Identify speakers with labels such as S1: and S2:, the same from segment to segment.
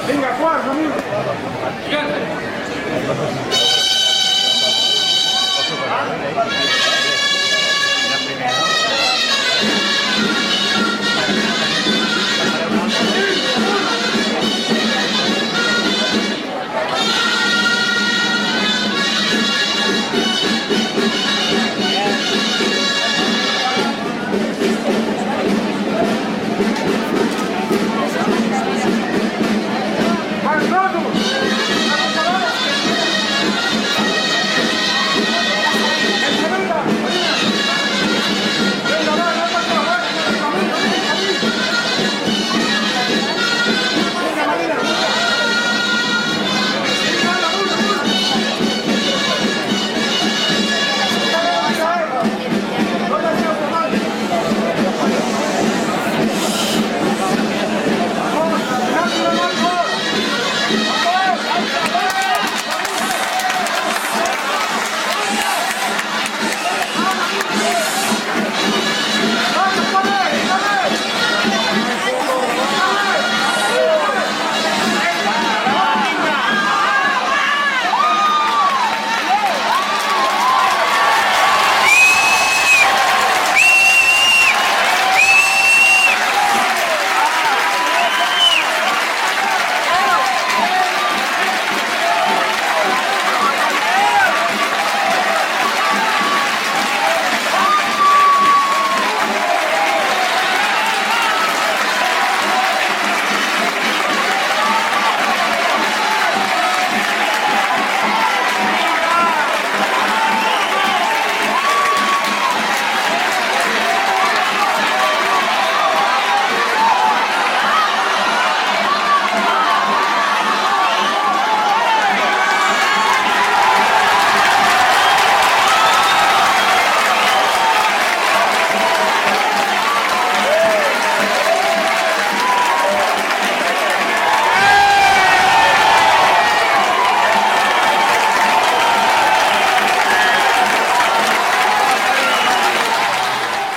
S1: Vinga, quart, amic.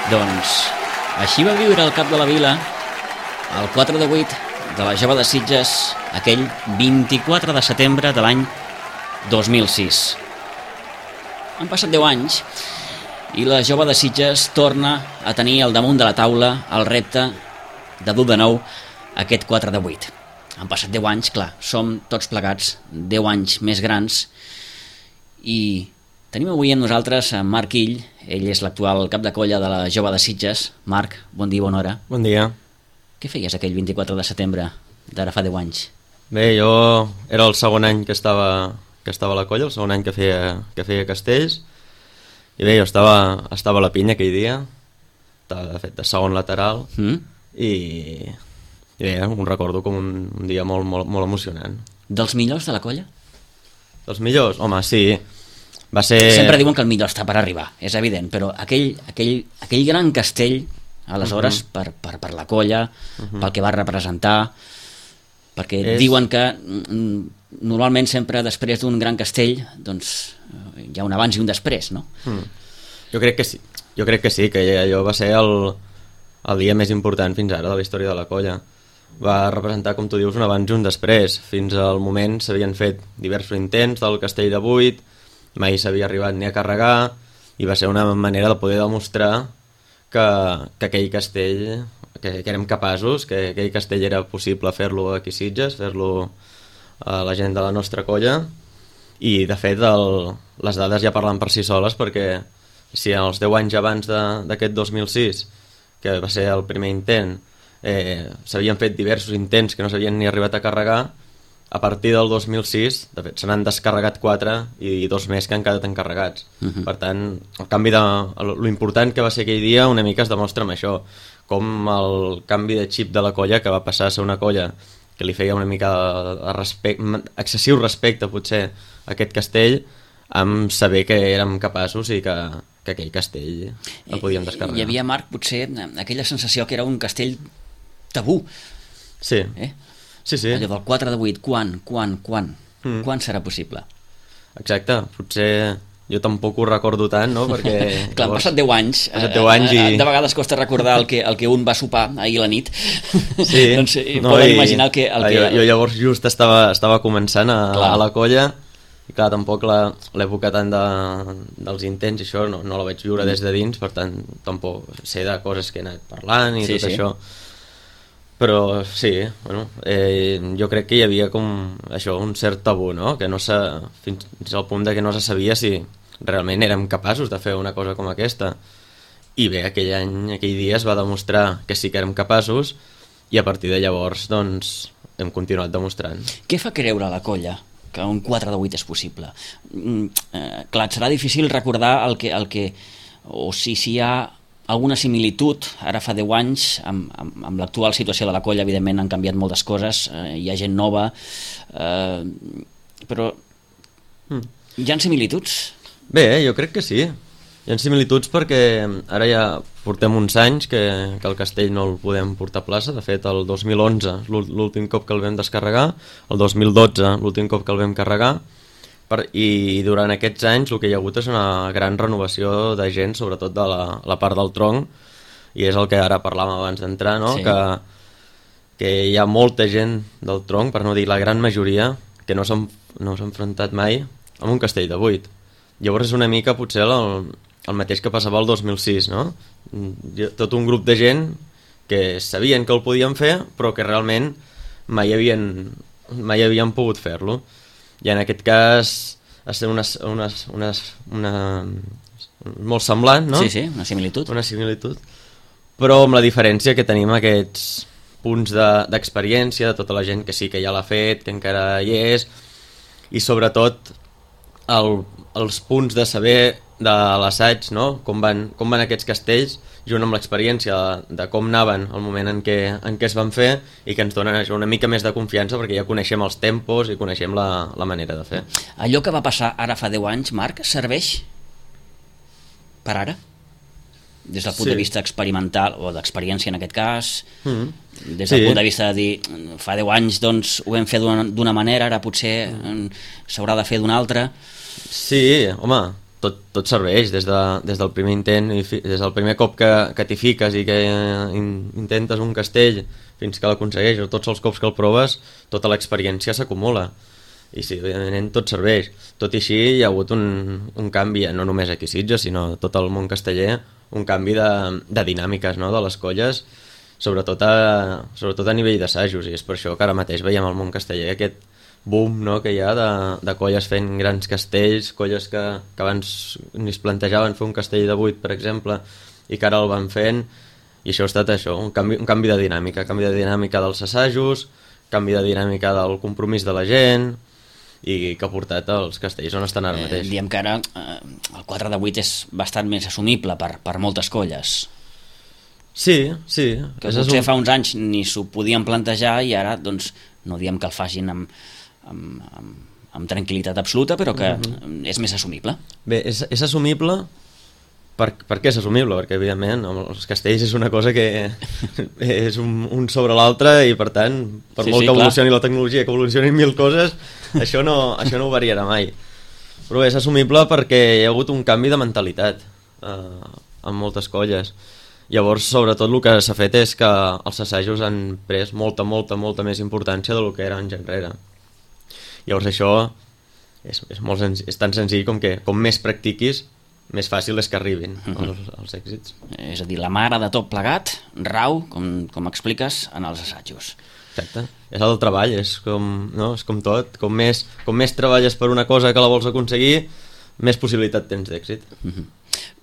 S2: Doncs així va viure el cap de la vila el 4 de 8 de la Jove de Sitges aquell 24 de setembre de l'any 2006. Han passat 10 anys i la Jove de Sitges torna a tenir al damunt de la taula el repte de dur de nou aquest 4 de 8. Han passat 10 anys, clar, som tots plegats 10 anys més grans i tenim avui amb nosaltres en Marc Ill. Ell és l'actual cap de colla de la Jove de Sitges. Marc, bon dia, bona hora.
S3: Bon dia.
S2: Què feies aquell 24 de setembre d'ara fa 10 anys?
S3: Bé, jo era el segon any que estava a la colla, el segon any que feia castells, i bé, jo estava a la pinya aquell dia, estava de fet de segon lateral, i bé, ho recordo com un dia molt, molt, molt emocionant.
S2: Dels millors de la colla?
S3: Dels millors? Home, sí. Va ser...
S2: Sempre diuen que el millor està per arribar, és evident, però aquell gran castell, aleshores, per la colla, pel que va representar, perquè diuen que normalment sempre després d'un gran castell doncs hi ha un abans i un després, no?
S3: Jo crec que sí, que allò va ser el dia més important fins ara de la història de la colla. Va representar, com tu dius, un abans i un després. Fins al moment s'havien fet diversos intents del castell de 8, mai s'havia arribat ni a carregar, i va ser una manera de poder demostrar que aquell castell, que érem capaços, que aquell castell era possible fer-lo aquí a Sitges, fer-lo a la gent de la nostra colla, i de fet les dades ja parlen per si soles, perquè si els 10 anys abans d'aquest 2006, que va ser el primer intent, s'havien fet diversos intents que no s'havien ni arribat a carregar, a partir del 2006, de fet, se n'han descarregat 4 i 2 més que han quedat encarregats. Per tant, lo important que va ser aquell dia una mica es demostra amb això, com el canvi de xip de la colla, que va passar a ser una colla que li feia una mica excessiu respecte, potser, a aquest castell, amb saber que érem capaços i que aquell castell el podíem descarregar.
S2: Hi havia, Marc, potser aquella sensació que era un castell tabú.
S3: Sí. Sí.
S2: Allò del 4 de 8, quan serà possible?
S3: Exacte, potser jo tampoc ho recordo tant, no? Perquè...
S2: Clar, han passat 10 anys.
S3: Passat 10 anys i...
S2: De vegades costa recordar el que un va sopar ahir a la nit.
S3: Sí.
S2: Doncs poden imaginar
S3: Jo llavors just estava començant a la colla, i clar, tampoc l'època tant dels intents i això no la vaig viure des de dins, per tant tampoc sé de coses que he anat parlant i tot això, però sí, bueno, jo crec que hi havia com això, un cert tabú, no? Que no fins al punt de que no se sabia si realment érem capaços de fer una cosa com aquesta, i bé, aquell dia es va demostrar que sí que érem capaços, i a partir de llavors doncs hem continuat demostrant.
S2: Què fa creure a la colla que un 4 de 8 és possible? Clar, et serà difícil recordar o si hi ha alguna similitud, ara fa 10 anys, amb l'actual situació de la colla. Evidentment han canviat moltes coses, hi ha gent nova, però hi ha similituds?
S3: Bé, jo crec que sí. Hi ha similituds perquè ara ja portem uns anys que el castell no el podem portar a plaça. De fet, el 2011, l'últim cop que el vam descarregar, el 2012, l'últim cop que el vam carregar, i durant aquests anys el que hi ha hagut és una gran renovació de gent, sobretot de la part del tronc, i és el que ara parlàvem abans d'entrar, no? Sí. Que hi ha molta gent del tronc, per no dir la gran majoria, que no s'ha enfrontat mai amb un castell de 8. Llavors és una mica potser el mateix que passava el 2006, no? Tot un grup de gent que sabien que el podien fer, però que realment mai havien pogut fer-lo. I en aquest cas ha estat una molt semblant, no?
S2: Sí, una similitud.
S3: Una similitud. Però amb la diferència que tenim aquests punts d'experiència de tota la gent que sí que ja l'ha fet, que encara hi és, i sobretot els punts de saber de l'assaig, no? Com van aquests castells, junt amb l'experiència de com anaven al moment en què es van fer, i que ens donen una mica més de confiança perquè ja coneixem els tempos i coneixem la manera de fer.
S2: Allò que va passar ara fa 10 anys, Marc, serveix per ara? Des del punt de vista experimental, o d'experiència en aquest cas, des del punt de vista de dir, fa 10 anys doncs ho vam fer d'una manera, ara potser s'haurà de fer d'una altra.
S3: Sí, home, tot serveix, des del primer intent, des del primer cop que t'hi fiques i que intentes un castell fins que l'aconsegueix, o tots els cops que el proves, tota l'experiència s'acumula. I sí, evidentment tot serveix. Tot i així hi ha hagut un canvi, no només aquí a Sitges, sinó a tot el món casteller, un canvi de dinàmiques, no?, de les colles, sobretot a nivell d'assajos, i és per això que ara mateix veiem al món casteller aquest boom, no?, que hi ha de colles fent grans castells, colles que abans ni es plantejaven fer un castell de 8, per exemple, i que ara el van fent, i això ha estat un canvi de dinàmica dels assajos, canvi de dinàmica del compromís de la gent, i que ha portat els castells on estan ara mateix.
S2: Diem que ara el 4 de 8 és bastant més assumible per moltes colles.
S3: Sí.
S2: Que potser fa uns anys ni s'ho podien plantejar, i ara doncs no diem que el facin amb tranquil·litat absoluta, però que és més assumible.
S3: Bé, és assumible. Per què és assumible? Perquè evidentment els castells és una cosa que és un sobre l'altre, i per tant, per molt que evolucioni la tecnologia, que evolucionin 1000 coses, això no ho variarà mai. Però bé, és assumible perquè hi ha hagut un canvi de mentalitat en moltes colles. Llavors, sobretot, el que s'ha fet és que els assajos han pres molta més importància del que era anys enrere. Llavors això és tan senzill com que com més practiquis, més fàcil és que arribin els èxits.
S2: És a dir, la mare de tot plegat rau, com expliques, en els assajos.
S3: Exacte. És el treball, és com tot. Com més treballes per una cosa que la vols aconseguir, més possibilitat tens d'èxit.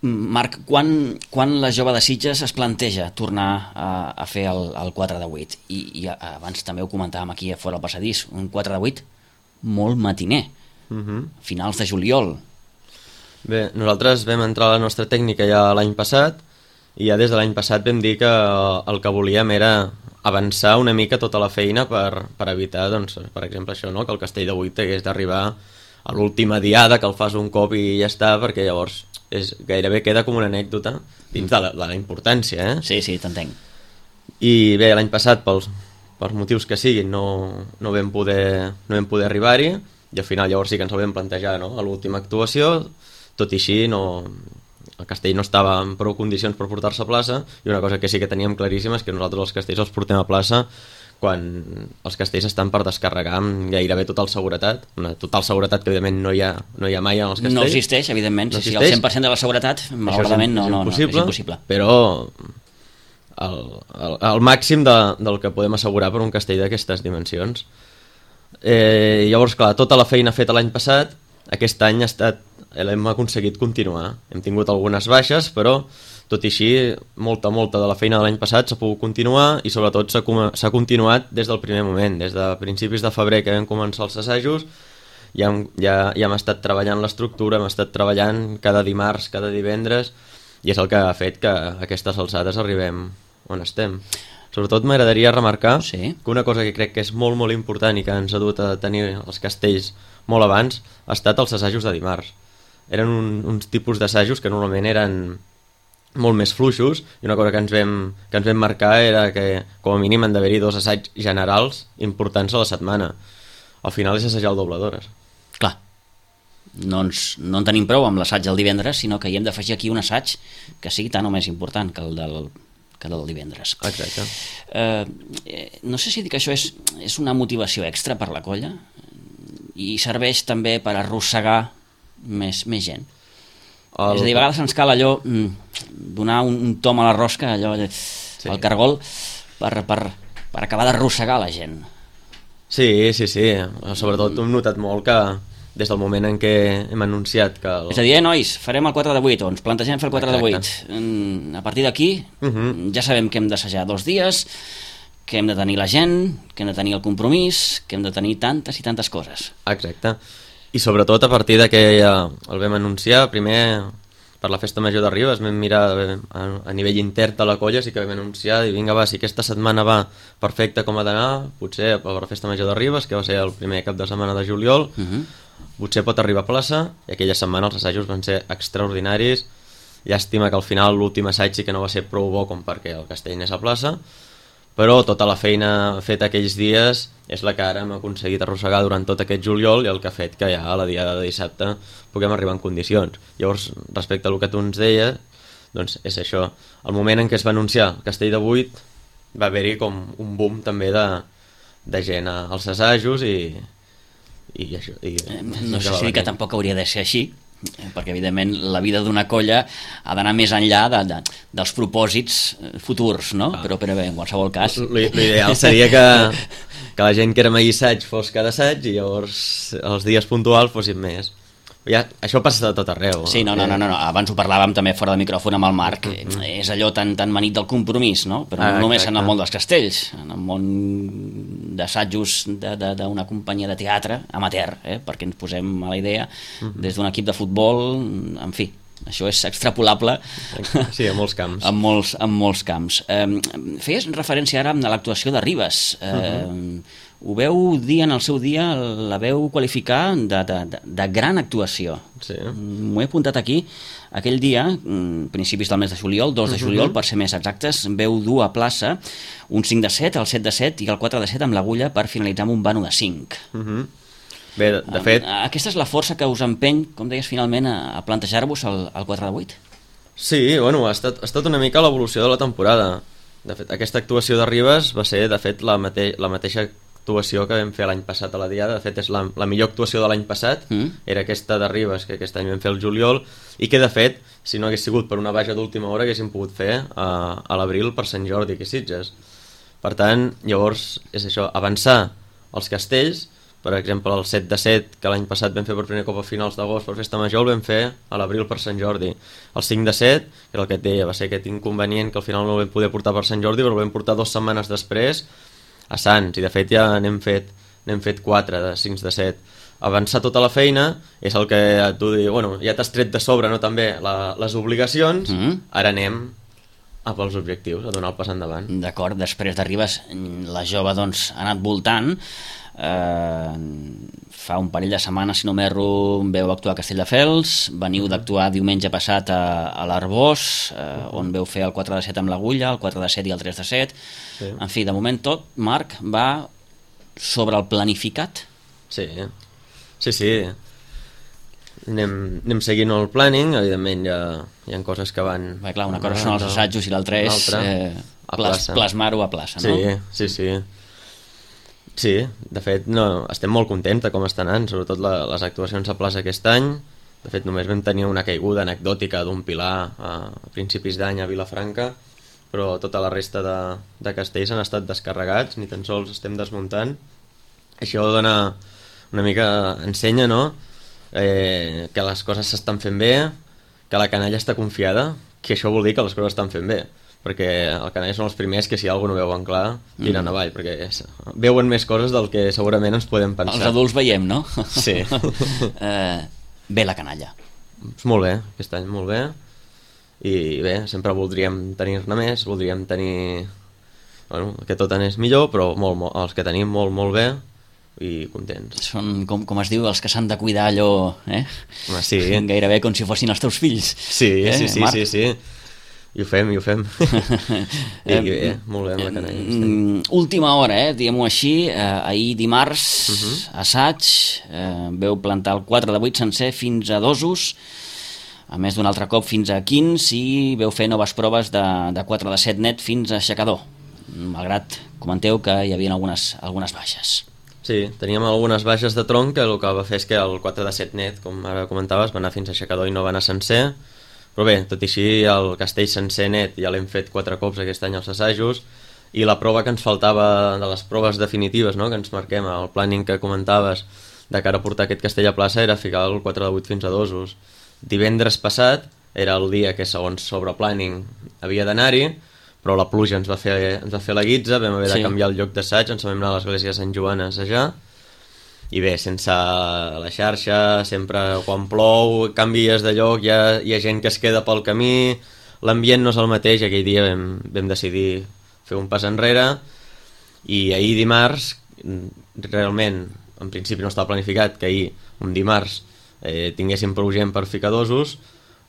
S2: Marc, quan la jove de Sitges es planteja tornar a fer el 4 de 8? I abans també ho comentàvem aquí a fora al passadís, un 4 de 8 molt matiner, finals de juliol.
S3: Bé, nosaltres vam entrar a la nostra tècnica ja l'any passat, i ja des de l'any passat vam dir que el que volíem era avançar una mica tota la feina per evitar, doncs, per exemple, això, no?, que el castell de 8 hagués d'arribar a l'última diada, que el fas un cop i ja està, perquè llavors gairebé queda com una anècdota dins de la importància,
S2: Sí, t'entenc.
S3: I bé, l'any passat, pels motius que siguin, no vam poder arribar-hi, i al final llavors sí que ens ho vam plantejar, no?, a l'última actuació, tot i així el castell no estava en prou condicions per portar-se a plaça, i una cosa que sí que teníem claríssima és que nosaltres els castells els portem a plaça quan els castells estan per descarregar amb gairebé total seguretat, una total seguretat que evidentment no hi ha mai en els castells.
S2: No existeix, evidentment,
S3: no
S2: si
S3: existeix.
S2: el 100% de la seguretat, malauradament és impossible.
S3: Però el màxim del que podem assegurar per un castell d'aquestes dimensions. Llavors, clar, tota la feina feta l'any passat, aquest any l'hem aconseguit continuar. Hem tingut algunes baixes, però tot i així molta de la feina de l'any passat s'ha pogut continuar, i sobretot s'ha continuat des del primer moment, des de principis de febrer que vam començar els assajos. Ja hem estat treballant l'estructura, hem estat treballant cada dimarts, cada divendres, i és el que ha fet que a aquestes alçades arribem on estem. Sobretot m'agradaria remarcar que una cosa que crec que és molt important i que ens ha dut a tenir els castells molt abans ha estat els assajos de dimarts. Eren uns tipus d'assajos que normalment eren molt més fluixos, i una cosa que ens vam marcar era que com a mínim han d'haver-hi 2 assaigs generals importants a la setmana. Al final és assajar el doble d'hores.
S2: Clar, no en tenim prou amb l'assaig del divendres, sinó que hi hem d'afegir aquí un assaig que sigui tan o més important que el del divendres.
S3: Exacte.
S2: No sé si dir que això és una motivació extra per la colla i serveix també per arrossegar més gent. És a dir, a vegades ens cal allò donar un tom a la rosca, allò al cargol, per acabar d'arrossegar la gent.
S3: Sí. Sobretot hem notat molt que des del moment en què hem anunciat que...
S2: És a dir, nois, farem el 4 de 8, o ens plantegem fer el 4 de 8. A partir d'aquí ja sabem que hem d'assajar 2 dies, que hem de tenir la gent, que hem de tenir el compromís, que hem de tenir tantes i tantes coses.
S3: Exacte. I sobretot a partir de que el vam anunciar, primer per la festa major de Ribes vam mirar a nivell intern de la colla, sí que vam anunciar i vinga va, si aquesta setmana va perfecte com ha d'anar, potser per la festa major de Ribes, que va ser el primer cap de setmana de juliol, potser pot arribar a plaça, i aquella setmana els assajos van ser extraordinaris. Llàstima que al final l'últim assaig sí que no va ser prou bo com perquè el castell anés a plaça, però tota la feina feta aquells dies és la que ara hem aconseguit arrossegar durant tot aquest juliol, i el que ha fet que ja a la diada de dissabte puguem arribar en condicions. Llavors, respecte a el que tu ens deies, doncs és això. El moment en què es va anunciar el castell de 8 va haver-hi com un boom també de gent als assajos, i això.
S2: No sé si que tampoc hauria de ser així, perquè evidentment la vida d'una colla ha d'anar més enllà dels propòsits futurs, no? Però bé, en qualsevol cas...
S3: L'ideal seria que la gent que era mai assaig fos cada assaig, i llavors els dies puntuals fossin més. Això passa de tot arreu.
S2: Sí, no, abans ho parlàvem també fora de micròfon amb el Marc, és allò tan manit del compromís, no? Però no només en el món dels castells, en el món d'assajos d'una companyia de teatre amateur, perquè ens posem a la idea, des d'un equip de futbol, en fi, això és extrapolable.
S3: Sí, a molts camps.
S2: En molts camps. Feies referència ara a l'actuació de Ribes. Ho veu dir en el seu dia, la veu qualificar de gran actuació.
S3: Sí.
S2: M'ho he apuntat aquí. Aquell dia, principis del mes de juliol, 2 de juliol, per ser més exactes, veu dur a plaça un 5 de 7, el 7 de 7 i el 4 de 7 amb l'agulla per finalitzar amb un vano de 5.
S3: Bé, de fet...
S2: Aquesta és la força que us empeny, com deies, finalment, a plantejar-vos el 4 de 8?
S3: Sí, bueno, ha estat una mica l'evolució de la temporada. De fet, aquesta actuació de Ribes va ser, de fet, la mateixa actuació que vam fer l'any passat a la diada. De fet, és la millor actuació de l'any passat, era aquesta de Ribes, que aquest any vam fer el juliol, i que, de fet, si no hagués sigut per una baixa d'última hora, haguéssim pogut fer a l'abril per Sant Jordi, que Sitges. Per tant, llavors, és això, avançar els castells. Per exemple, el 7 de 7, que l'any passat vam fer per primer cop a finals d'agost per festa major, el vam fer a l'abril per Sant Jordi. El 5 de 7, que era el que et deia, va ser aquest inconvenient que al final no el vam poder portar per Sant Jordi, però el vam portar 2 setmanes després a Sants, i de fet ja n'hem fet 4 de 5 de 7. Avançar tota la feina és el que tu dius, bueno, ja t'has tret de sobre, no, també les obligacions, ara anem a pels objectius, a donar el pas endavant.
S2: D'acord, després de Ribes la jove doncs ha anat voltant. Fa un parell de setmanes, si no m'erro, veu actuar a Castelldefels, veniu d'actuar diumenge passat a l'Arbós, on veu fer el 4 de 7 amb l'agulla, el 4 de 7 i el 3 de 7. En fi, de moment tot, Marc, va sobre el planificat.
S3: Sí. anem seguint el planning, evidentment hi ha coses que van...
S2: Bé, clar, una cosa són els assajos i l'altra és plasmar-ho a plaça, no?
S3: Sí. Sí, de fet, estem molt contents de com estan anant, sobretot les actuacions a plaça aquest any. De fet, només vam tenir una caiguda anecdòtica d'un pilar a principis d'any a Vilafranca, però tota la resta de castells han estat descarregats, ni tan sols estem desmuntant. Això dona una mica... ensenya, no?, que les coses s'estan fent bé, que la canalla està confiada, que això vol dir que les coses estan fent bé, perquè el canalla són els primers que si alguna no veuen clar tiren avall, perquè veuen més coses del que segurament ens podem pensar.
S2: Els adults veiem, no?
S3: Sí.
S2: Bé la canalla.
S3: Molt bé, aquest any molt bé, i bé, sempre voldríem tenir-ne més, voldríem tenir... Bueno, que tot anés millor, però els que tenim molt bé, i contents.
S2: Són, com es diu, els que s'han de cuidar allò,
S3: Sí.
S2: Gairebé com si fossin els teus fills.
S3: Sí. I ho fem. I bé, molt bé amb la canalla.
S2: Última hora, diguem-ho així, ahir dimarts, assaig, veu plantar el 4 de 8 sencer fins a Dosos, a més d'un altre cop fins a Quins, i veu fer noves proves de 4 de 7 net fins a Aixecador, malgrat comenteu que hi havia algunes baixes.
S3: Sí, teníem algunes baixes de tronc, que el que va fer és que el 4 de 7 net, com ara comentaves, va anar fins a Aixecador i no va anar sencer, però bé, tot i així el castell sencer net ja l'hem fet 4 cops aquest any als assajos, i la prova que ens faltava de les proves definitives, no?, que ens marquem al planning que comentaves de cara a portar aquest castell a plaça, era ficar el 4 de 8 fins a Dosos. Divendres passat era el dia que segons sobre planning havia d'anar-hi, però la pluja ens va fer la guitza, vam haver de canviar el lloc d'assaig, ens vam anar a l'església de Sant Joan a assajar, i bé, sense la xarxa, sempre quan plou, canvies de lloc, hi ha gent que es queda pel camí, l'ambient no és el mateix, aquell dia vam decidir fer un pas enrere, i ahir dimarts, realment, en principi no estava planificat que ahir, un dimarts, tinguéssim prou gent per ficar Dosos,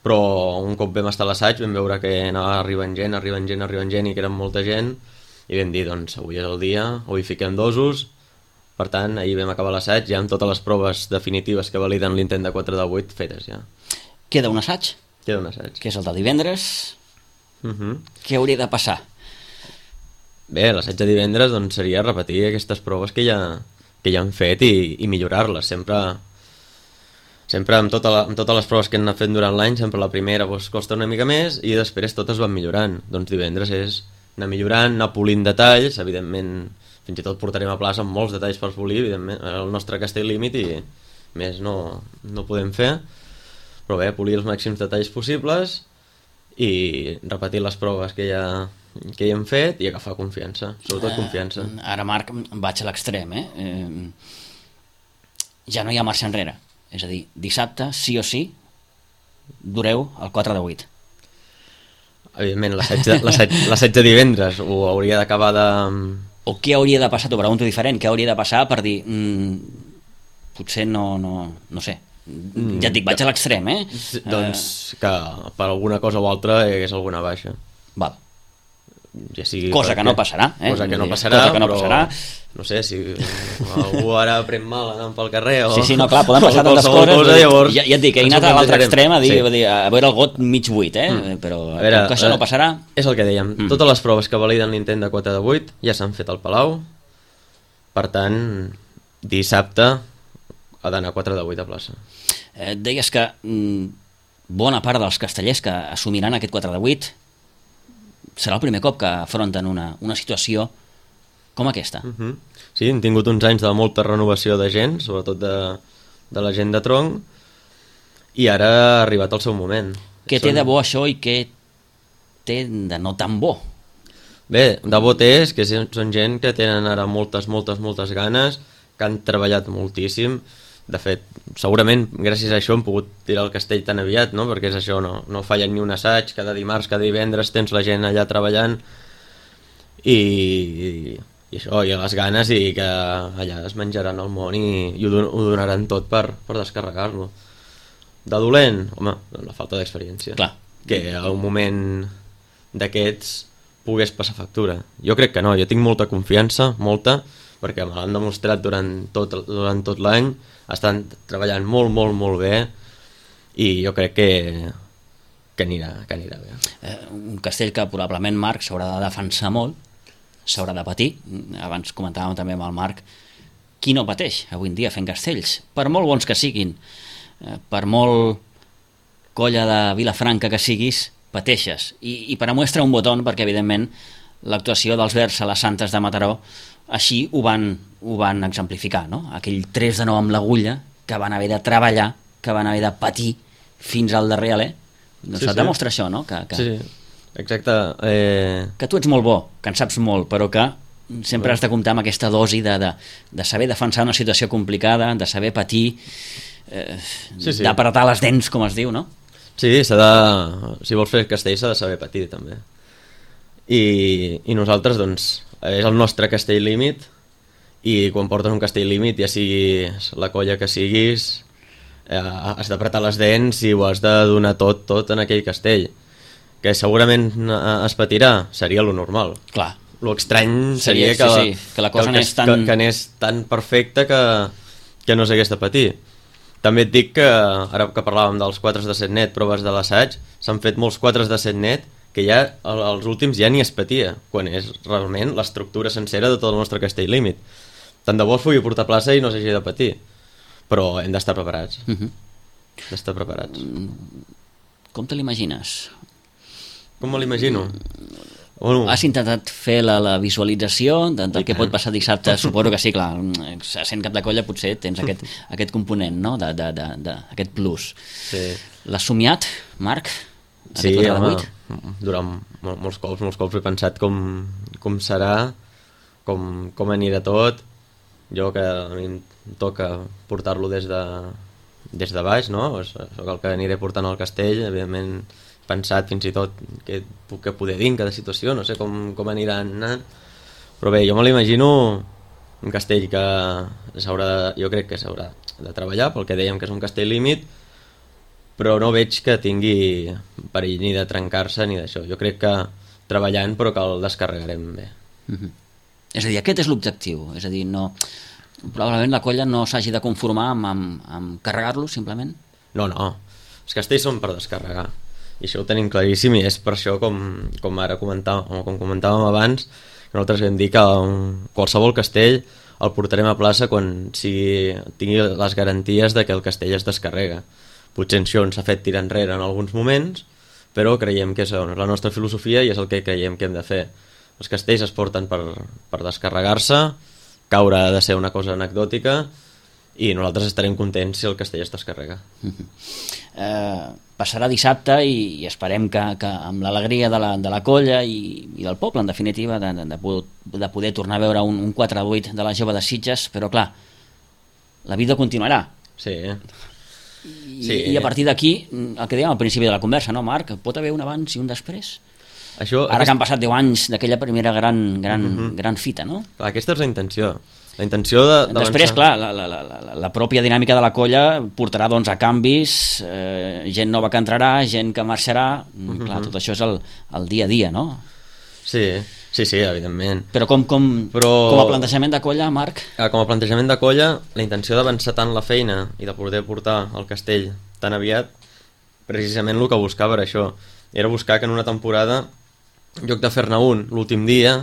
S3: però un cop vam estar a l'assaig vam veure que anava arribant gent i que eren molta gent, i vam dir, doncs avui és el dia, avui fiquem Dosos. Per tant, ahir vam acabar l'assaig ja amb totes les proves definitives que validen l'intent de 4 de 8 fetes ja.
S2: Queda un assaig?
S3: Queda un assaig.
S2: Que és el de divendres. Què hauria de passar?
S3: Bé, l'assaig de divendres doncs, seria repetir aquestes proves que ja han fet i millorar-les. Sempre amb totes les proves que hem anat fent durant l'any, sempre la primera costa una mica més i després totes van millorant. Doncs divendres és anar millorant, anar polint detalls, evidentment fins i tot portarem a plaça amb molts detalls per polir, evidentment, el nostre castell límit i més no podem fer, però bé, polir els màxims detalls possibles i repetir les proves que ja hem fet i agafar confiança, sobretot confiança.
S2: Ara, Marc, vaig a l'extrem, ja no hi ha marxa enrere. És a dir, dissabte, sí o sí, dureu el 4 de 8.
S3: Evidentment, l'assaig de divendres ho hauria d'acabar de...
S2: O què hauria de passar, t'ho pregunto diferent, què hauria de passar per dir, potser no sé, ja et dic, vaig a l'extrem,
S3: Doncs que per alguna cosa o altra hi hagués alguna baixa.
S2: Val.
S3: Ja sigui
S2: cosa que no passarà,
S3: cosa que no passarà, però no sé, si algú ara pren mal anant pel carrer o...
S2: Sí, no, clar, poden passar tantes coses,
S3: llavors,
S2: ja et dic, he anat a l'altre extrem a veure el got mig buit, però com que això no passarà...
S3: És el que dèiem, totes les proves que validen l'intent de 4 de 8 ja s'han fet al Palau, per tant, dissabte ha d'anar 4 de 8 a plaça.
S2: Deies que bona part dels castellers que assumiran aquest 4 de 8 serà el primer cop que afronten una situació com aquesta.
S3: Sí, hem tingut uns anys de molta renovació de gent, sobretot de la gent de tronc, i ara ha arribat el seu moment.
S2: Què té de bo això i què té de no tan bo?
S3: Bé, de bo té és que són gent que tenen ara moltes ganes, que han treballat moltíssim. De fet, segurament gràcies a això hem pogut tirar el castell tan aviat, no? Perquè és això, no fallen ni un assaig, cada dimarts, cada divendres tens la gent allà treballant i això, i les ganes, i que allà es menjaran el món i ho donaran tot per descarregar-lo. De dolent, home, la falta d'experiència.
S2: Clar.
S3: Que a un moment d'aquests pogués passar factura. Jo crec que no, jo tinc molta confiança, molta, perquè me l'han demostrat durant tot l'any, estan treballant molt bé, i jo crec que anirà bé.
S2: Un castell que probablement, Marc, s'haurà de defensar molt, s'haurà de patir. Abans comentàvem també amb el Marc, qui no pateix avui en dia fent castells? Per molt bons que siguin, per molt colla de Vilafranca que siguis, pateixes. I per a muestra un botó, perquè evidentment l'actuació dels Verds a les Santes de Mataró així ho van exemplificar, no? Aquell 3-9 amb l'agulla que van haver de treballar, que van haver de patir fins al darrer alè. Doncs et demostra això, no?
S3: Sí, exacte.
S2: Que tu ets molt bo, que en saps molt, però que sempre has de comptar amb aquesta dosi de saber defensar una situació complicada, de saber patir, d'apretar les dents, com es diu, no?
S3: Sí, si vols fer castell s'ha de saber patir també. I nosaltres, doncs, és el nostre castell límit, i quan portes un castell límit, ja siguis la colla que siguis, has d'apretar les dents i ho has de donar tot en aquell castell. Que segurament es patirà, seria lo normal.
S2: Clar.
S3: Lo estrany seria que
S2: la cosa
S3: anés tan perfecta que no s'hagués de patir. També et dic que, ara que parlàvem dels 4 de 7 net, proves de l'assaig, s'han fet molts 4 de 7 net que ja els últims ja ni es patia, quan és realment l'estructura sencera de tot el nostre castell límit. Tant de bo es pugui portar a plaça i no s'hagi de patir, però hem d'estar preparats. D'estar preparats.
S2: Com te l'imagines?
S3: Com me l'imagino?
S2: Has intentat fer la visualització del que pot passar dissabte? Suposo que sí, clar, sent cap de colla potser tens aquest component, no? Aquest plus.
S3: Sí.
S2: L'has somiat, Marc?
S3: Sí, home, durant molts cops he pensat com serà, com anirà tot. Jo, que a mi em toca portar-lo des de baix, no? Soc el que aniré portant al castell, evidentment pensat fins i tot què puc poder dir en cada situació, no sé com aniran anant, però bé, jo me l'imagino un castell que jo crec que s'haurà de treballar, pel que dèiem que és un castell límit, però no veig que tingui perill ni de trencar-se ni d'això. Jo crec que treballant, però que el descarregarem bé.
S2: És a dir, aquest és l'objectiu, és a dir, probablement la colla no s'hagi de conformar amb carregar-lo simplement?
S3: No, els castells són per descarregar, i això ho tenim claríssim, i és per això com ara comentàvem abans, que nosaltres vam dir que qualsevol castell el portarem a plaça quan tingui les garanties de que el castell es descarrega. Potser això ens ha fet tirar enrere en alguns moments, però creiem que és la nostra filosofia i és el que creiem que hem de fer. Els castells es porten per descarregar-se, caure ha de ser una cosa anecdòtica, i nosaltres estarem contents si el castell es descarrega.
S2: Passarà dissabte i esperem que amb l'alegria de la colla i del poble, en definitiva, de poder tornar a veure un 4-8 de la Jove de Sitges, però clar, la vida continuarà.
S3: Sí.
S2: I a partir d'aquí, el que dèiem al principi de la conversa, no, Marc? Pot haver un abans i un després? Ara que han passat 10 anys d'aquella primera gran fita, no?
S3: Aquesta és la intenció. La intenció
S2: després, clar, la pròpia dinàmica de la colla portarà doncs a canvis, gent nova que entrarà, gent que marxarà, clar, tot això és el dia a dia, no?
S3: Sí, evidentment.
S2: Però com a plantejament de colla, Marc?
S3: Com a plantejament de colla, la intenció d'avançar tant la feina i de poder portar el castell tan aviat, precisament el que buscava era això, era buscar que en una temporada, en lloc de fer-ne un l'últim dia,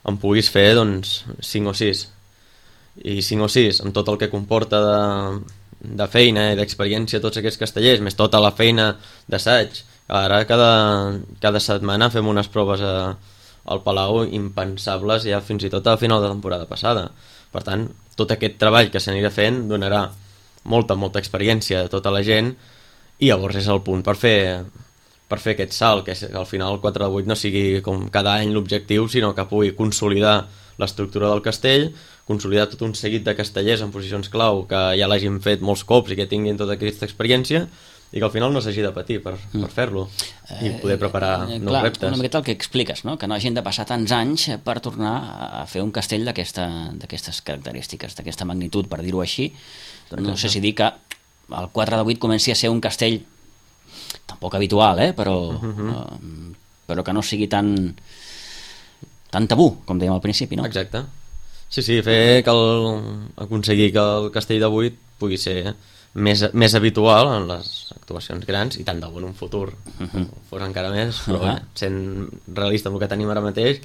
S3: en puguis fer doncs 5 o 6. I 5 o 6 amb tot el que comporta de feina i d'experiència tots aquests castellers, més tota la feina d'assaig. Ara cada setmana fem unes proves al Palau impensables ja fins i tot a final de temporada passada. Per tant, tot aquest treball que s'anirà fent donarà molta experiència de tota la gent, i llavors és el punt per fer aquest salt, que al final el 4 de 8 no sigui com cada any l'objectiu, sinó que pugui consolidar l'estructura del castell, consolidar tot un seguit de castellers en posicions clau que ja l'hagin fet molts cops i que tinguin tota aquesta experiència, i que al final no s'hagi de patir per fer-lo i poder preparar nous reptes.
S2: Una miqueta el que expliques, no? Que no hagin de passar tants anys per tornar a fer un castell d'aquestes característiques, d'aquesta magnitud, per dir-ho així. No sé si dir que el 4 de 8 comenci a ser un castell tampoc habitual, però que no sigui tan tabú, com dèiem al principi, no?
S3: Exacte. Sí, aconseguir que el castell de 8 pugui ser més habitual en les actuacions grans, i tant de bo en un futur fos encara més, però bé, sent realista amb el que tenim ara mateix,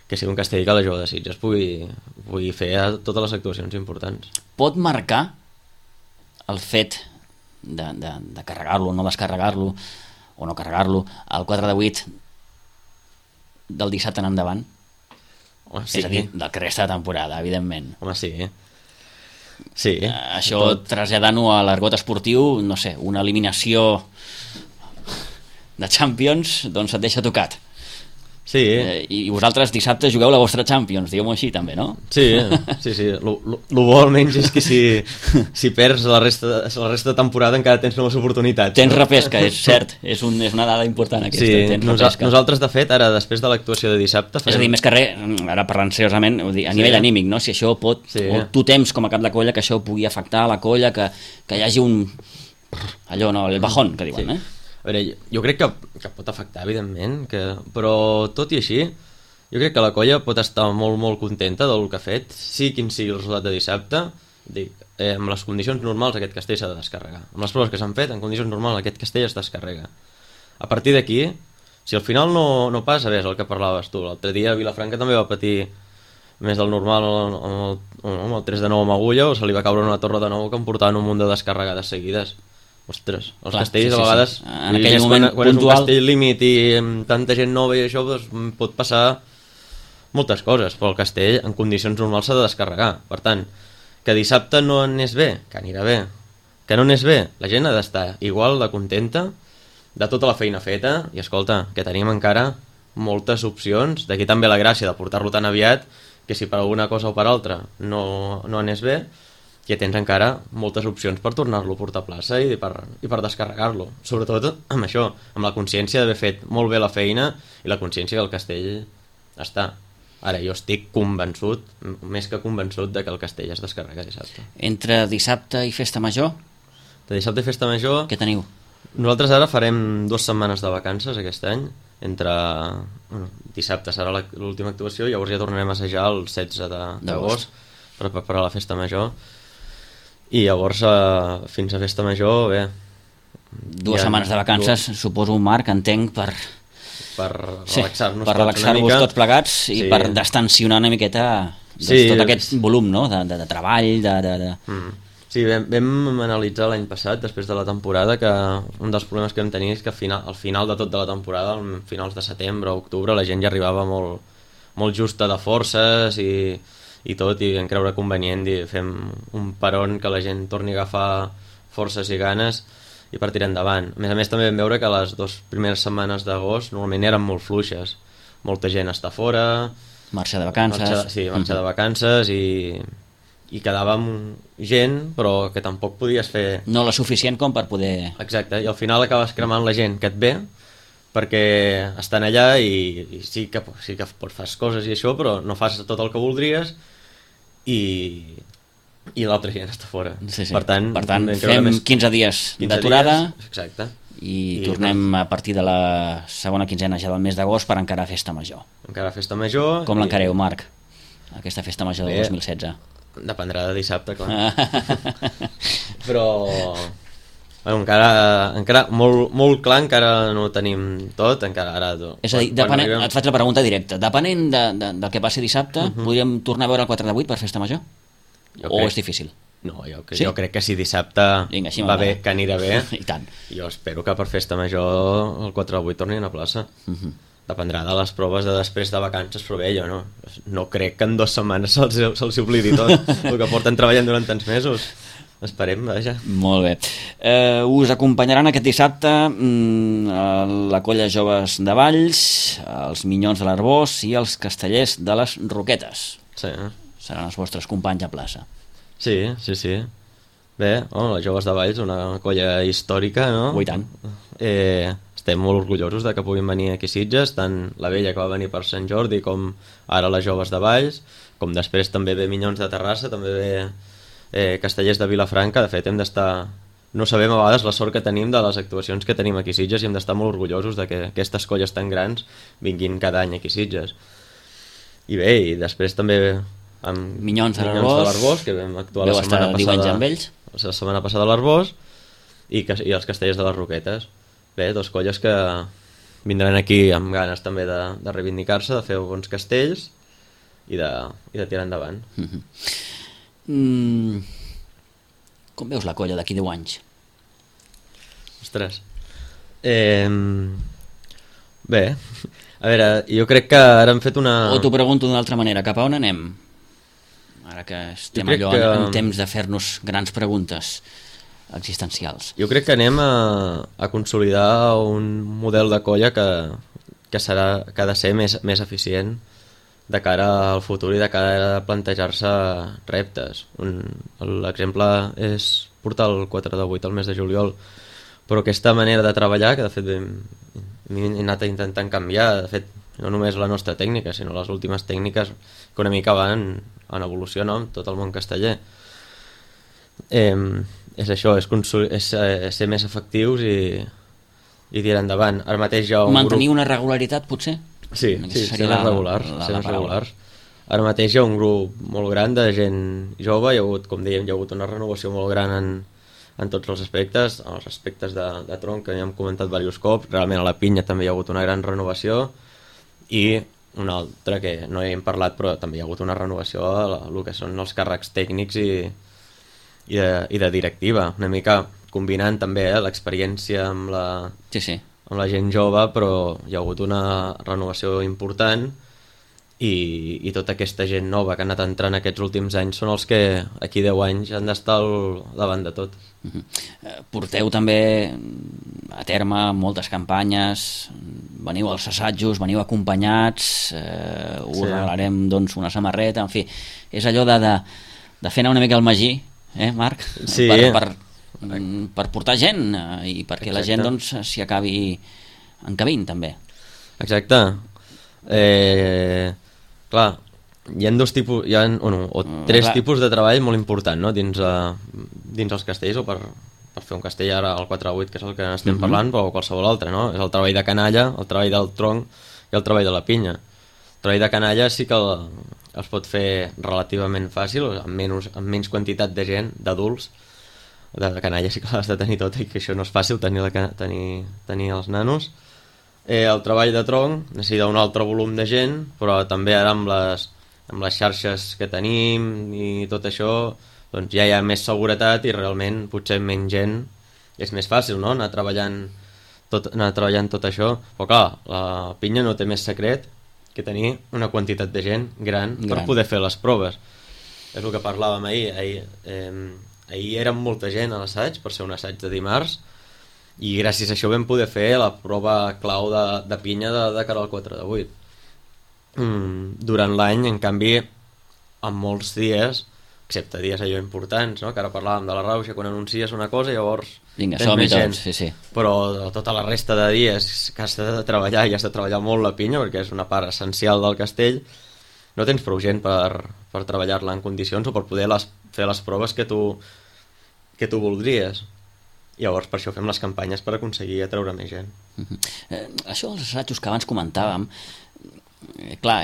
S3: que sigui un castell que la jove de Sitges pugui fer a totes les actuacions importants.
S2: Pot marcar el fet de carregar-lo, no descarregar-lo o no carregar-lo al 4 de 8 del dissabte en endavant?
S3: Home, sí.
S2: És a dir, del que resta de temporada, evidentment.
S3: Home, sí. Sí.
S2: Això traslladant-ho a l'argot esportiu, no sé, una eliminació de Champions, doncs et deixa tocat.
S3: Sí.
S2: I vosaltres dissabte jugueu la vostra Champions, digueu-m'ho així també, no?
S3: Sí. Lo bo almenys és que si perds la resta de temporada encara tens noves oportunitats.
S2: Tens repesca, és cert, és una dada important aquesta.
S3: Sí, nosaltres de fet ara després de l'actuació de dissabte
S2: és a dir, més que res, ara parlant seriosament, a nivell anímic, no? Si això pot, o tu tems com a cap de colla que això pugui afectar la colla, que hi hagi un allò, no, el bajón que diuen,
S3: A veure, jo crec que pot afectar, evidentment, però tot i així, jo crec que la colla pot estar molt, molt contenta del que ha fet, sigui quin sigui el resultat de dissabte. Dic, amb les condicions normals aquest castell s'ha de descarregar. Amb les proves que s'han fet, en condicions normals aquest castell es descarrega. A partir d'aquí, si al final no passa, bé, és el que parlaves tu. L'altre dia Vilafranca també va patir més del normal amb el 3 de 9 amb Agulla, o se li va caure una torre de nou que em portaven un munt de descarregades seguides. Ostres, els castells a vegades
S2: en aquell moment
S3: quan és un castell límit i amb tanta gent nova i això, doncs, pot passar moltes coses, però el castell en condicions normals s'ha de descarregar. Per tant, que dissabte no anés bé, que anirà bé. Que no anés bé, la gent ha d'estar igual de contenta de tota la feina feta, i escolta, que tenim encara moltes opcions, d'aquí també la gràcia de portar-lo tan aviat, que si per alguna cosa o per altra no anés bé, que tens encara moltes opcions per tornar-lo a portar a plaça i per descarregar-lo. Sobretot amb això, amb la consciència d'haver fet molt bé la feina i la consciència que el castell està. Ara, jo estic convençut, més que convençut, de que el castell es descarrega dissabte.
S2: Entre dissabte i festa major?
S3: De dissabte i festa major...
S2: Què teniu?
S3: Nosaltres ara farem 2 setmanes de vacances aquest any. Dissabte serà l'última actuació, llavors ja tornarem a assajar el 16 d'agost per preparar la festa major. I llavors fins a festa major, bé...
S2: 2 setmanes de vacances, suposo, Marc, entenc, per relaxar-vos tots plegats i per distanciar una miqueta tot aquest volum, no?, de treball,
S3: Sí, vam analitzar l'any passat, després de la temporada, que un dels problemes que vam tenir és que al final de tot de la temporada, a finals de setembre o octubre, la gent ja arribava molt justa de forces i tot, i vam creure convenient i fem un peron que la gent torni a agafar forces i ganes i per tirar endavant. A més també vam veure que les 2 primeres setmanes d'agost normalment eren molt fluixes, molta gent està fora,
S2: marxa de vacances,
S3: marxa de vacances i quedàvem gent però que tampoc podies fer
S2: no la suficient com per poder...
S3: Exacte, i al final acabes cremant la gent que et ve perquè estan allà i sí que fas coses i això, però no fas tot el que voldries i l'altra gent està fora.
S2: Sí.
S3: Per tant
S2: fem 15 dies d'aturada
S3: i
S2: tornem a partir de la segona quinzena ja del mes d'agost per encarar festa major. Com l'encareu, Marc, aquesta festa major del 2016?
S3: Dependrà de dissabte, clar. Però encara molt clar encara no ho tenim tot, encara ara...
S2: És a dir, et faig la pregunta directa, depenent del que passi dissabte, podríem tornar a veure el 4 de 8 per festa major? O és difícil?
S3: No, jo crec que si dissabte va bé, que anirà bé.
S2: I tant.
S3: Jo espero que per festa major el 4 de 8 tornin a plaça. Dependrà de les proves de després de vacances, però bé, jo no crec que en 2 setmanes se'ls oblidi tot el que porten treballant durant tants mesos. Esperem, vaja.
S2: Molt bé. Us acompanyaran aquest dissabte la colla Joves de Valls, els Minyons de l'Arbós i els Castellers de les Roquetes.
S3: Sí.
S2: Seran els vostres companys a plaça.
S3: Sí. Bé, les Joves de Valls, una colla històrica, no?
S2: I tant.
S3: Estem molt orgullosos de que puguin venir aquí a Sitges, tant la vella que va venir per Sant Jordi com ara les Joves de Valls, com després també ve Minyons de Terrassa, també ve Castellers de Vilafranca. De fet, hem d'estar... No sabem a vegades la sort que tenim de les actuacions que tenim aquí a Sitges i hem d'estar molt orgullosos de que aquestes colles tan grans vinguin cada any aquí a Sitges. I bé, i després també amb
S2: Minyons de
S3: l'Arbós, que vam actuar la setmana passada a l'Arbós, i els Castellers de les Roquetes. Bé, dos colles que vindran aquí amb ganes també de reivindicar-se, de fer bons castells i de tirar endavant.
S2: Com veus la colla d'aquí 10 anys?
S3: Ostres. Bé, a veure, jo crec que ara hem fet una...
S2: O t'ho pregunto d'una altra manera, cap a on anem? Ara que estem en temps de fer-nos grans preguntes existencials.
S3: Jo crec que anem a consolidar un model de colla que ha de ser més eficient de cara al futur i de cara a plantejar-se reptes. L'exemple és portar el 4 de 8 al mes de juliol, però aquesta manera de treballar, que de fet hem anat intentant canviar, de fet no només la nostra tècnica, sinó les últimes tècniques que una mica van en evolució, no?, amb tot el món casteller. És això, és ser més efectius i tirar endavant. Ara mateix hi ha un
S2: mantenir una regularitat, potser?
S3: Sí, ser més regulars. Ara mateix hi ha un grup molt gran de gent jove, com dèiem, hi ha hagut una renovació molt gran en tots els aspectes, els aspectes de tronc, que ja hem comentat diversos cops, realment a la pinya també hi ha hagut una gran renovació, i una altra que no hem parlat, però també hi ha hagut una renovació a el que són els càrrecs tècnics i de directiva, una mica combinant també l'experiència amb la gent jove, però hi ha hagut una renovació important i tota aquesta gent nova que ha anat entrant aquests últims anys són els que aquí 10 anys han d'estar al davant de tot.
S2: Porteu també a terme moltes campanyes, veniu als assajos, veniu acompanyats, us regalarem doncs una samarreta, en fi, és allò de fer anar una mica el magí, Marc?
S3: Sí.
S2: Per portar gent i perquè la gent doncs s'hi acabi encabint també.
S3: Exacte. Clar, hi ha dos tipus, tres tipus de treball molt important, no?, dins els castells, o per fer un castell ara al 4-8, que és el que estem parlant, o qualsevol altre, no? És el treball de canalla, el treball del tronc i el treball de la pinya. El treball de canalla sí que es pot fer relativament fàcil, amb menys quantitat de gent, d'adults. De canalla sí que l'has de tenir tot, i que això no és fàcil, tenir els nanos. El treball de tronc necessita un altre volum de gent, però també ara amb les xarxes que tenim i tot això, doncs ja hi ha més seguretat i realment potser menys gent és més fàcil, no?, anar treballant tot això. Però clar, la pinya no té més secret que tenir una quantitat de gent gran per poder fer les proves. És el que parlàvem ahir. Ahir érem molta gent a l'assaig, per ser un assaig de dimarts, i gràcies a això vam poder fer la prova clau de pinya de cara al 4 de 8. Durant l'any, en canvi, en molts dies, excepte dies allò importants, no?, que ara parlàvem de la rauxa, quan anuncies una cosa, llavors
S2: tens més gent. Sí.
S3: Però tota la resta de dies que has de treballar, i has de treballar molt la pinya, perquè és una part essencial del castell, no tens prou gent per treballar-la en condicions o per poder fer les proves que tu voldries. Llavors per això fem les campanyes, per aconseguir atreure més gent.
S2: Això dels assajos que abans comentàvem, clar,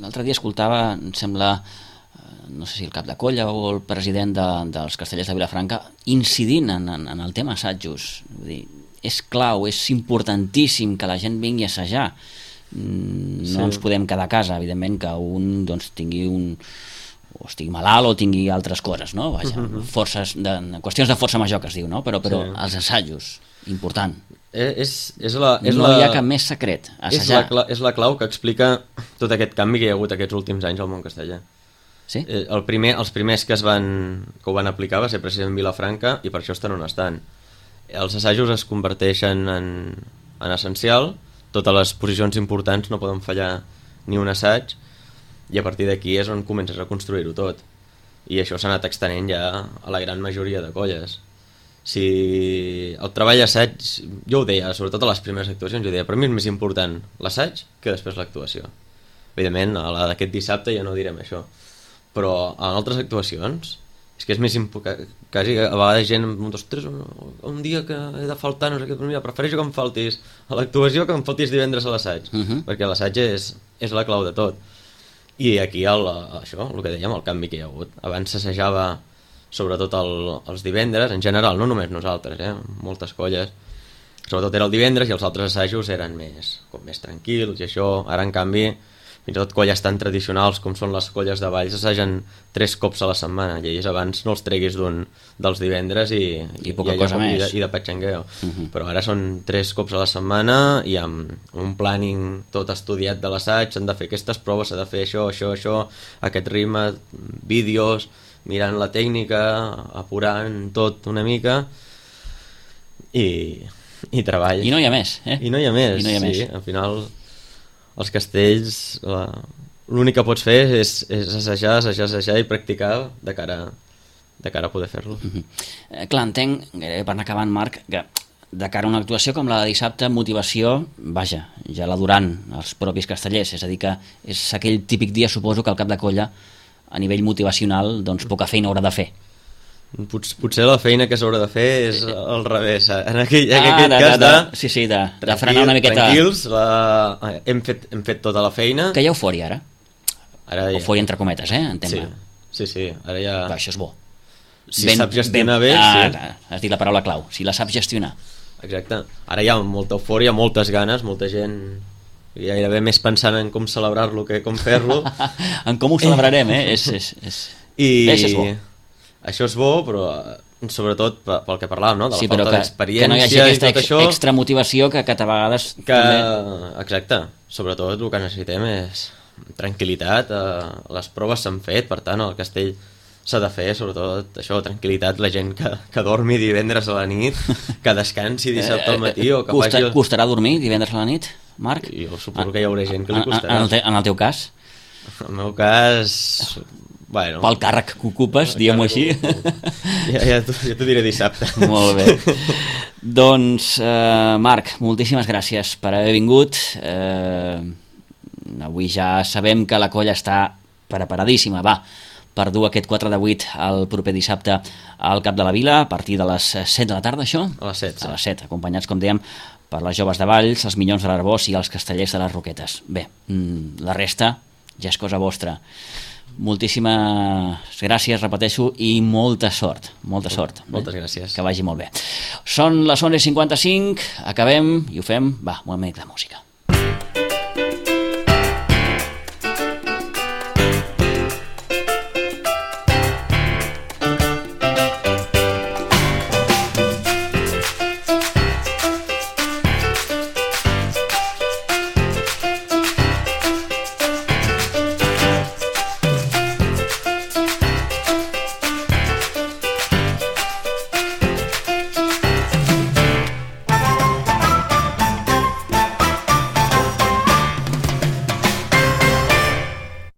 S2: l'altre dia escoltava, em sembla, no sé si el cap de colla o el president dels Castellers de Vilafranca, incidint en el tema assajos. Vull dir, és clau, és importantíssim que la gent vingui a assajar. No ens podem quedar a casa, evidentment, que un doncs, tingui o estigui malalt o tingui altres coses, no? Vaja, qüestions de força major que es diu, no? Però els assajos, important. No hi ha cap més secret, assajar.
S3: És la clau que explica tot aquest canvi que hi ha hagut aquests últims anys al món casteller.
S2: Sí?
S3: Els primers que ho van aplicar va ser precisament Vilafranca, i per això estan on estan. Els assajos es converteixen en essencial, totes les posicions importants no poden fallar ni un assaig, i a partir d'aquí és on comences a construir-ho tot, i això s'ha anat extenent ja a la gran majoria de colles. Si el treball assaig, jo ho deia, sobretot a les primeres actuacions, jo deia, per mi és més important l'assaig que després l'actuació. Evidentment, a la d'aquest dissabte ja no direm això, però en altres actuacions és que és més important, quasi a vegades gent ostres, un dia que he de faltar, no sé què, mira, prefereixo que em faltis a l'actuació que em faltis divendres a l'assaig, perquè l'assaig és la clau de tot. I aquí això, el que dèiem, el canvi que hi ha hagut. Abans s'assajava sobretot els divendres, en general, no només nosaltres, moltes colles, sobretot era el divendres i els altres assajos eren més tranquils i això. Ara, en canvi, fins i tot colles tan tradicionals com són les colles de Valls assagen 3 cops a la setmana, i ells abans no els treguis dels divendres i
S2: poca cosa més
S3: i de patxangueo. Però ara són 3 cops a la setmana i amb un planning tot estudiat de l'assaig, s'han de fer aquestes proves, s'ha de fer això, aquest ritme, vídeos, mirant la tècnica, apurant tot una mica i treball.
S2: I no hi ha més,
S3: I no hi ha més, sí. Al final, els castells, l'únic que pots fer és assajar i practicar de cara a poder fer-lo.
S2: Clar, entenc, gairebé per anar acabant, Marc, que de cara a una actuació com la de dissabte, motivació, vaja, ja la duran els propis castellers, és a dir que és aquell típic dia, suposo, que el cap de colla a nivell motivacional, doncs poca feina haurà de fer.
S3: Potser la feina que s'haurà de fer és al revés, en aquell cas
S2: de frenar una miqueta.
S3: Tranquils, hem fet tota la feina.
S2: Que hi ha eufòria ara
S3: ja.
S2: Eufòria entre cometes, entenc-me.
S3: Sí, ara ja...
S2: Però això és bo.
S3: Si saps gestionar bé, sí.
S2: Has dit la paraula clau, si la saps gestionar.
S3: Exacte, ara hi ha molta eufòria, moltes ganes, molta gent gairebé més pensant en com celebrar-lo que com fer-lo.
S2: En com ho celebrarem, això és bo.
S3: Això és bo, però sobretot pel que parlàvem, no? De la falta d'experiència,
S2: que no hi hagi aquesta extra motivació que a vegades...
S3: Exacte, sobretot el que necessitem és tranquil·litat, les proves s'han fet, per tant el castell s'ha de fer, sobretot això, tranquil·litat, la gent que dormi divendres a la nit, que descansi dissabte al matí o que faci...
S2: Costarà dormir divendres a la nit, Marc?
S3: Jo suposo que hi haurà gent que li costarà.
S2: En el teu cas?
S3: En el meu cas... Bueno,
S2: pel càrrec que ocupes, diguem-ho així.
S3: Ja t'ho diré dissabte.
S2: Molt bé. Doncs, Marc, moltíssimes gràcies per haver vingut. Avui ja sabem que la colla està preparadíssima, per dur aquest 4 de 8 el proper dissabte al Cap de la Vila, a partir de les 7 de la tarda, això?
S3: A les 7, sí.
S2: A les 7, acompanyats, com dèiem, per les joves de Valls, els minyons de l'Arboç i els castellers de les Roquetes. Bé, la resta ja és cosa vostra. Moltíssimes gràcies, repeteixo, i molta sort. Moltes
S3: gràcies.
S2: Que vagi molt bé. Són les 11:55, acabem i ho fem, un moment de música.